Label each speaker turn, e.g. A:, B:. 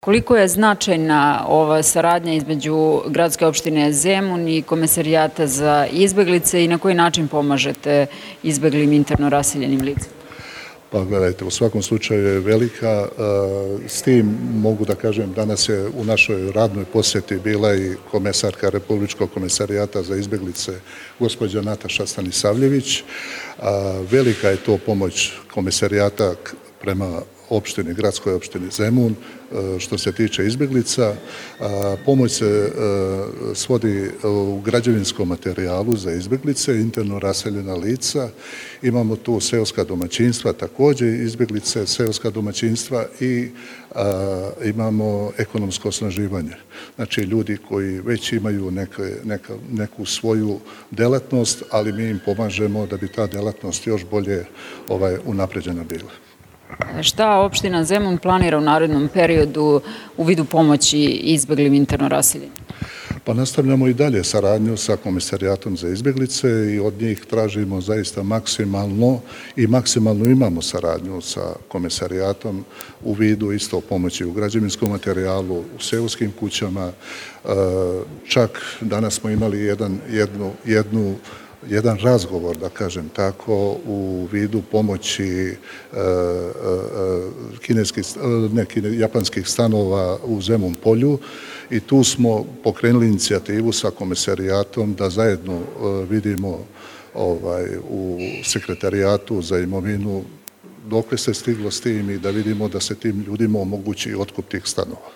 A: Koliko je značajna ova saradnja između gradske opštine Zemun i Komesarijata za izbeglice i na koji način pomažete izbeglim interno raseljenim licima?
B: Pa gledajte, u svakom slučaju je velika. S tim mogu da kažem, danas je u našoj radnoj posjeti bila i komesarka Republičkog komesarijata za izbeglice, gospođa Nataša Stanisavljević. Velika je to pomoć komesarijata prema opštini, gradskoj opštini Zemun, što se tiče izbeglica. Pomoć se svodi u građevinskom materijalu za izbeglice, interno raseljena lica. Imamo tu seoska domaćinstva, također izbeglice, seoska domaćinstva i imamo ekonomsko osnaživanje. Znači ljudi koji već imaju neku svoju delatnost, ali mi im pomažemo da bi ta delatnost još bolje unapređena bila.
A: Šta opština Zemun planira u narednom periodu u vidu pomoći izbeglim interno raseljenim?
B: Pa nastavljamo i dalje saradnju sa Komesarijatom za izbeglice i od njih tražimo zaista maksimalno i maksimalno imamo saradnju sa Komesarijatom u vidu isto pomoći u građevinskom materijalu, u seoskim kućama. Čak danas smo imali jedan razgovor, da kažem tako, u vidu pomoći japanskih stanova u Zemun polju i tu smo pokrenuli inicijativu sa Komesarijatom da zajedno vidimo u Sekretarijatu za imovinu dokle se stiglo s tim i da vidimo da se tim ljudima omogući otkup tih stanova.